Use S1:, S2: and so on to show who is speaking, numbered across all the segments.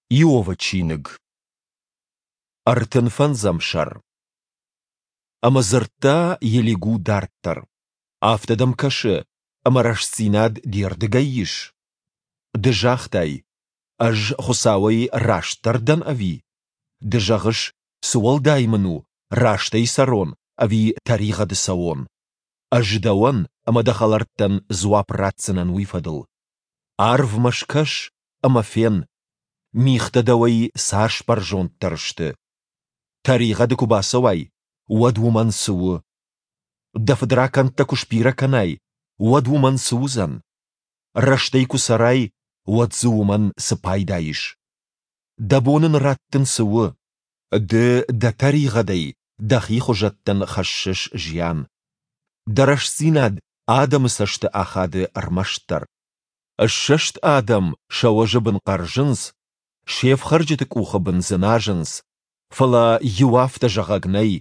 S1: Иовы чиныг. 35 сӕр. Ӕмӕ дзырдта Елигу дарддӕр: Афтӕ дӕм кӕсы, ӕмӕ рӕстдзинад де рдыгӕй ис? Ды загътай, ӕз Хуыцауӕй растдӕр дӕн ӕви? Ды зӕгъыс, цы уӕлдай мын у, рӕстӕй цӕрон ӕви тӕригъӕды цӕуон? Ӕз дӕуӕн ӕмӕ дӕ хӕлӕрттӕн дзуапп ратдзынӕн уый фӕдыл. Арвмӕ скӕс ӕмӕ фен, мигътӕ дӕуӕй цас бӕрзонддӕр сты. Тӕригъӕды куы бацӕуай, уӕд уымӕн цы у? Дӕ фыдракӕндтӕ куы сбирӕ кӕнай, уӕд уымӕн цы уыдзӕн? Рӕстӕй куы цӕрай, уӕд дзы уымӕн цы пайда ис? Дӕ бон ын раттын цы у? Ды дӕ тӕригъӕдӕй дӕхи хуызӕттӕн хӕссыс зиан. Дӕ рӕстдзинад адӕмы цӕсты ахады ӕрмӕстдӕр. Ссӕст адӕм сӕ уӕзы бын хъӕрзынц, се фхӕрджыты къухы бын дзыназынц, фӕлӕ иу афтӕ зӕгъӕг нӕй,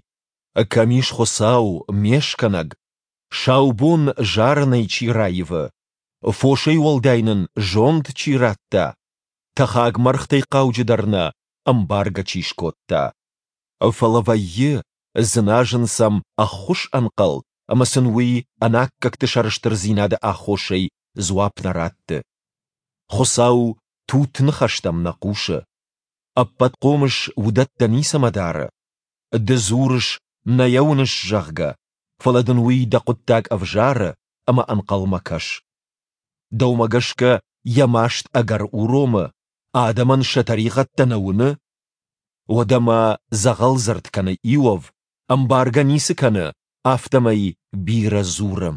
S1: Кӕм ис Хуыцау, ме скӕнӕг, сау бон зарынӕй чи раивы, фосӕй уӕлдай нын зонд чи радта, тӕхаг мӕргътӕй хъауджыдӕр нӕ ӕмбаргӕ чи скодта. Фӕлӕ вӕййы, дзыназын сӕм ӕххуыс ӕнхъӕл ӕмӕ сын уый ӕнаккӕгты сӕрыстырдзинады аххосӕй дзуапп нӕ ратты. Хуыцау тутт ныхӕстӕм нӕ хъусы. Ӕппӕтхъомыс уыдӕттӕ ницӕмӕ дары. Ды дзурыс, нӕ йӕ уыныс, зӕгъгӕ, фӕлӕ дын уый дӕ хъуыддаг ӕвзары ӕмӕ ӕнхъӕлмӕ кӕс. Дӕумӕ гӕсгӕ йӕ маст ӕгӕр уромы, адӕмӕн сӕ тӕригъӕдтӕ нӕ уыны? Уӕдӕ ма дзӕгъӕлдзырд кӕны Иов, ӕмбаргӕ ницы кӕны, афтӕмӕй бирӕ дзуры.